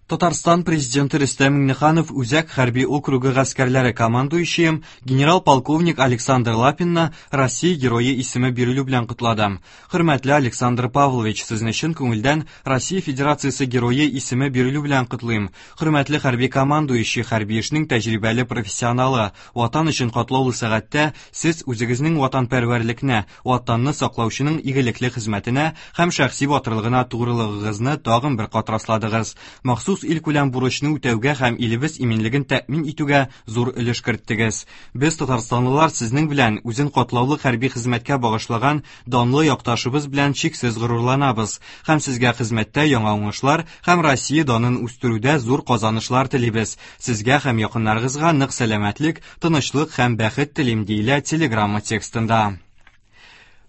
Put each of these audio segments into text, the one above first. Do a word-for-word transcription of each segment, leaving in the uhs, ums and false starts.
Татарстан президенты Рөстәм Миңнеханов Үзәк хәрби округы гаскәрләре командующие генерал-полковник Александр Лапинны Россия Герое исеме бирелү белән котлады. Хөрмәтле Александр Павлович, сезне чын күңелдән Россия Федерациясе Герое исеме бирелү белән котлыйм. Хөрмәтле хәрби командующий, хәрби эшнең тәҗрибәле профессионалы, Ватан өчен катлаулы сәгатьтә сез үзегезнең ватанпәрвәрлекне, Ватанны саклаучының игелекле хезмәтенә һәм шәхси батырлыгына тугрылыгыгызны тагын бер кат расладыгыз. Махсус илкүләм бурычны үтәүгә һәм илебез иминлеген тәэмин итүгә зур өлеш керттегез. Без, татарстанлылар, сезнең белән, үзен катлаулы хәрби хезмәткә багышлаган данлы якташыбыз белән чиксез горурланабыз һәм сезгә хезмәттә яңа уңышлар һәм Россия данын үстерүдә зур казанышлар телибез. Сезгә һәм якыннарыгызга нык сәламәтлек, тынычлык һәм бәхет телим, диелә телеграмма текстында.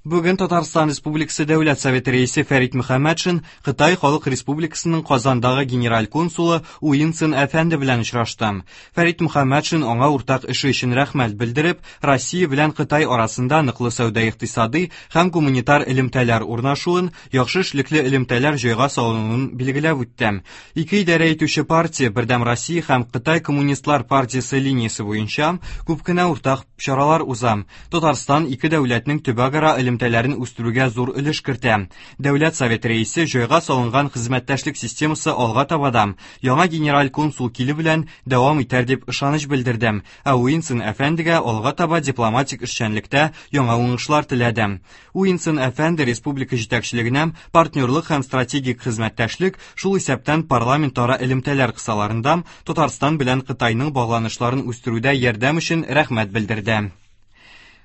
Бүген Татарстан Республикасы Дәүләт Советы рәисе Фәрит Мөхәммәтшин Кытай Халык Республикасының Казандагы генераль консулы Уинсон әфәнде белән очрашты. Фәрит Мөхәммәтшин аңа уртак эше өчен рәхмәт белдереп, Россия белән Кытай арасында ныклы сәүдә-икътисади һәм гуманитар элемтәләр урнашуын, яхшы эшлекле элемтәләр җайга салынуын билгеләп үтте. Ике идарә итүче партия Бердәм Россия һәм Кытай Коммунистлар партиясе линиясе буенча күп кенә уртак чаралар уза. Татарстан ике дәүләтнең төбәкара элемтәләрен үстерүгә зур өлеш кертә. Дәүләт Советы рәисе җайга салынган хезмәттәшлек системасы алга таба да яңа генераль консул килү белән дәвам итәр дип ышаныч белдерде. Ә Уинсон әфәндегә алга таба дипломатик эшчәнлектә яңа уңышлар теләде. Уинсон әфәнде республика җитәкчелегенә партнерлык һәм стратегик хезмәттәшлек, шул исәптән парламентара элемтәләр кысаларында Татарстан белән Кытайның багланышларын үстерүдә ярдәм өчен рәхмәт белдерде.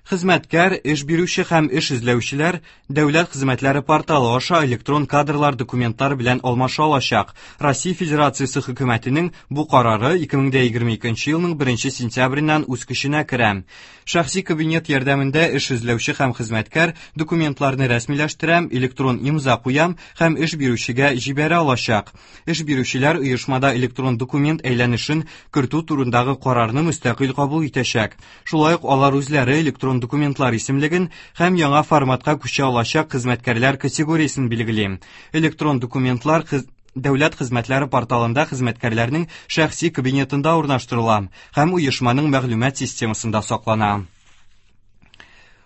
Хезмәткәр, эш бирүче һәм эш эзләүчеләр дәүләт хезмәтләре порталы аша электрон кадрлар документлар белән алмаша алачак. Россия Федерациясе хөкүмәтенең бу карары ике мең егерме икенче елның беренче сентябреннән үз көченә керә. Шәхси кабинет ярдәмендә эш эзләүче һәм хезмәткәр документларны рәсмиләштерә, электрон имза куя һәм эш бирүчегә җибәрә алачак. Эш бирүчеләр оешмада электрон документ әйләнешен кертү турындагы карарны мөстәкыйль кабул итәчәк. Шулай ук алар үзләре электрон документлар исемлеген һәм яңа форматка күчә алачак хезмәткәрләр категориясен билгели. Электрон документлар хез-, дәүләт хезмәтләре порталында хезмәткәрләрнең шәхси кабинетында урнаштырыла һәм оешманың мәгълүмат системасында саклана.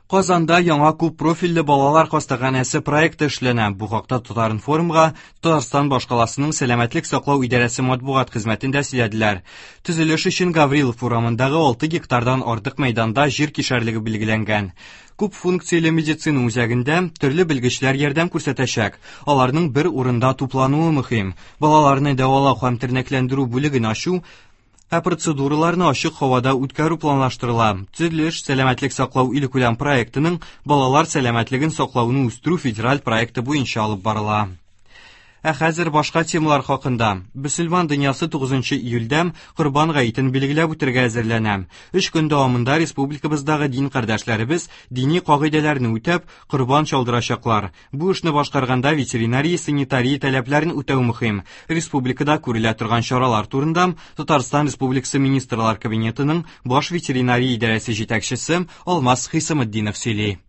Казанда яңа күп профильле балалар хастаханәсе проекты эшләнә. Бу хакта Татар-информга Татарстан башкаласының сәламәтлек саклау идарәсе матбугат хезмәтендә сөйләделәр. Төзелеш өчен Гаврилов урамындагы алты гектардан артык мәйданда җир кишәрлеге билгеләнгән. Күп функцияле медицина үзәгендә төрле белгечләр ярдәм күрсәтәчәк. Аларның бер урында туплануы мөһим. Балаларны дәвалау һәм тернәкләндерү бүлеген ачу, ә процедураларны ачык һавада үткәрү планлаштырыла. Төзелеш сәламәтлек саклау илкүләм проектының балалар сәламәтлеген саклауны үстерү федераль проекты буенча алып барыла. Ә хәзер башка темалар хакында. Мөселман дөньясы тугызынчы июльдә Корбан гаетен билгеләп үтәргә әзерләнә. Өч көн дәвамында республикабыздагы дин кардәшләребез дини кагыйдәләрне үтәп, корбан чалдырачаклар. Бу эшне башкарганда ветеринария, санитария таләпләрен үтәү мөһим. Республикада күрелә торган чаралар турында Татарстан Республикасы Министрлар Кабинетының баш ветеринария идарәсе җитәкчесе Алмаз Хисаметдинов сөйли.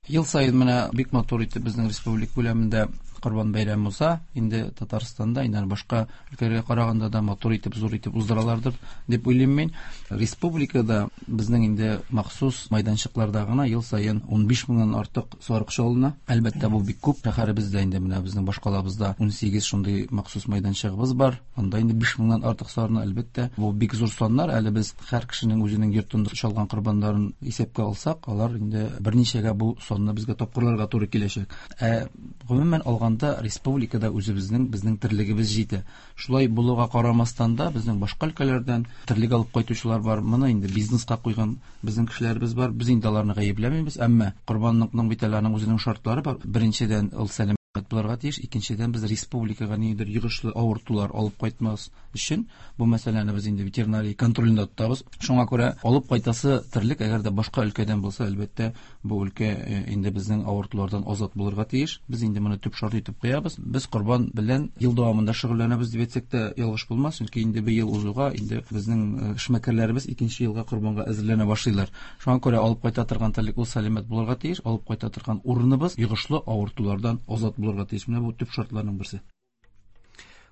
Ел саен менә бик матур итеп безнең республика күләмендә Корбан бәйрәме уза. Инде Татарстанда, инде башка өлкәләргә караганда да матур итеп, зур итеп уздыралардыр дип уйлыйм мин. Республикада безнең инде махсус майданчыкларда гына ел саен ун биш меңнән артык сарык чалына. Әлбәттә, бу бик күп. Шәһәребездә инде менә безнең башкалабызда ун сигез шундый махсус майданчыгыбыз бар. Анда инде биш меңнән артык сарыны, әлбәттә, бу бик зур саннар. Әле без һәр кешенең үзенең йортында чалган корбаннарын исәпкә алсак, алар инде берничәгә бу санны безгә тапкырларга туры киләчәк. Ә гомумән алганда республикада үзебезнең, безнең терлегебез җитә. Шулай булуга карамастан да безнең башка өлкәләрдән терлек алып кайтучылар бар. Моны инде бизнеска куйган безнең кешеләребез бар. Без инде аларны гаепләмибез, әмма корбанлыкның бит әле аның үзенең шартлары бар. Беренчедән, ул сәламәт булырга тиеш. Икенчедән, без республикага ниндидер йогышлы авыртулар алып кайтмас өчен бу мәсьәләне без инде ветеринария контролендә тотабыз. Шуңа күрә алып кайтасы терлек, әгәр дә башка өлкәдән булса, әлбәттә, бу өлкә, э, инде безнең авыртулардан азат булырга тиеш. Без инде моны төп шарт итеп куябыз. Без корбан белән ел дәвамында шөгыльләнәбез дип әйтсәк тә ялгыш булмас, чөнки инде бер ел узуга инде безнең, э, эшмәкәрләребез икенче елга корбанга әзерләнә башлыйлар. Шуңа күрә алып кайта торган терлек ул сәламәт булырга тиеш, алып кайта торган урыныбыз йогышлы авыртулардан азат булырга тиеш. Менә бу төп шартларның берсе.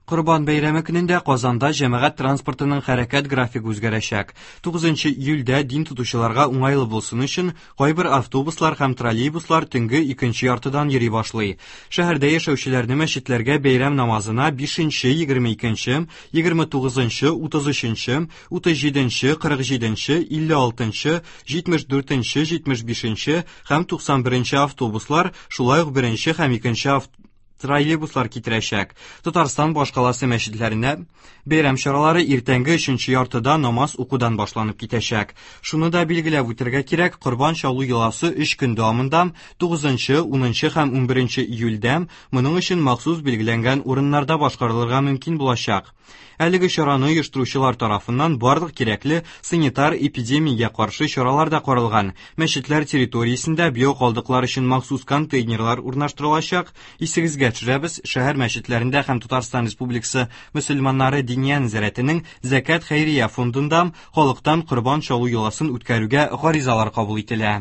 Корбан бәйрәме көнендә Казанда җәмәгать транспортының хәрәкәт графигы үзгәрәчәк. тугызынчы июльдә дин тотучыларга уңайлы булсын өчен кайбер автобуслар һәм троллейбуслар төнге икенче яртыдан йөри башлый. Шәһәрдә яшәүчеләрне мәчетләргә бәйрәм намазына бишенче, егерме икенче, егерме тугызынчы, утыз өченче, утыз җиденче, кырык җиденче, илле алтынчы, җитмеш дүртенче, җитмеш бишенче һәм туксан беренче автобуслар, шулай ук беренче һәм икенче автобуслар троллейбуслар китерәчәк. Татарстан башкаласы мәчетләренә бәйрәм чаралары иртәнге өченче яртыда намаз укудан башланып китәчәк. Шуны да билгеләп үтәргә кирәк, корбан чалу йоласы өч көн дәвамында тугызынчы, унынчы һәм унберенче июльдә моның өчен махсус билгеләнгән урыннарда башкарылырга мөмкин булачак. Әлеге чараны оештыручылар тарафыннан барлык кирәкле санитар эпидемиягә каршы чаралар да каралган. Мәчетләр территориясендә биокалдыклар өчен махсус контейнерлар урнаштырылачак. Исегезгә төшерәбез, шәһәр мәчетләрендә һәм Татарстан Республикасы мөселманнары Диния нәзарәтенең Зәкят хәйрия фондында халыктан корбан чалу йоласын үткәрүгә гаризалар кабул ителә.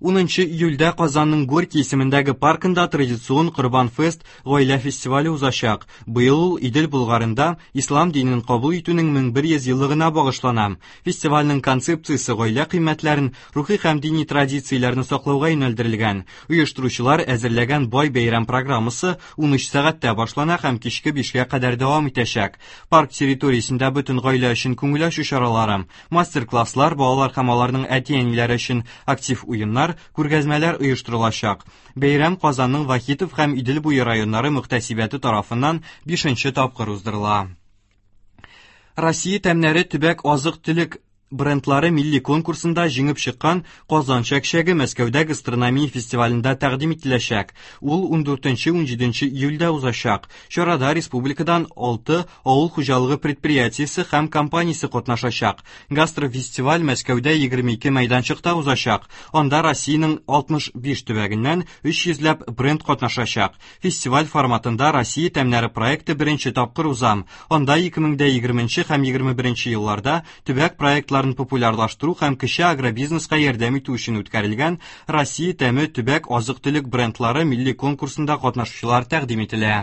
Унынчы июльдә Казанның Горький исемендәге паркында традицион Корбан фест гаилә фестивале узачак. Быел ул Идел Булгарында ислам динен кабул итүнең мең бер йөз еллыгына багышлана. Фестивальнең концепциясе гаилә кыйммәтләрен, рухи һәм дини традицияләрне саклауга юнәлдерелгән. Оештыручылар әзерләгән бай бәйрәм программасы ун өч сәгатьтә башлана һәм кичке бишкә кадәр дәвам итәчәк. Парк территориясендә бөтен гаилә өчен күңел ачу чаралары, мастер-класслар, балалар һәм аларның әти-әниләре өчен актив уеннар, күргәзмәләр оештырылачак. Бәйрәм Казанның Вахитов һәм Идел буе районнары мөхтәсибәте тарафыннан бишенче тапкыр уздырыла. Россия тәмнәре төбәк азык-төлек брендлары милли конкурсында җиңеп чыккан Казан чәкчәге Мәскәүдә гастрономия фестивалендә тәкъдим ителәчәк. Ул ундүртенче, унҗиденче июльдә узачак. Чарада республикадан алты авыл хуҗалыгы предприятиесе һәм компаниясе катнашачак. Гастрофестиваль Мәскәүдә егерме ике мәйданчыкта узачак. Анда Россиянең алтмыш биш төбәгеннән өч йөзләп бренд катнашачак. Фестиваль форматында Россия тәмнәре проекты беренче тапкыр уза. Анда ике мең дә егерменче һәм егерме беренче елларда төбәк проектлары популярлаштыру һәм кече агробизнеска ярдәм итү өчен үткәрелгән Россия тәме төбәк азык-төлек брендлары милли конкурсында катнашучылар тәкъдим ителә.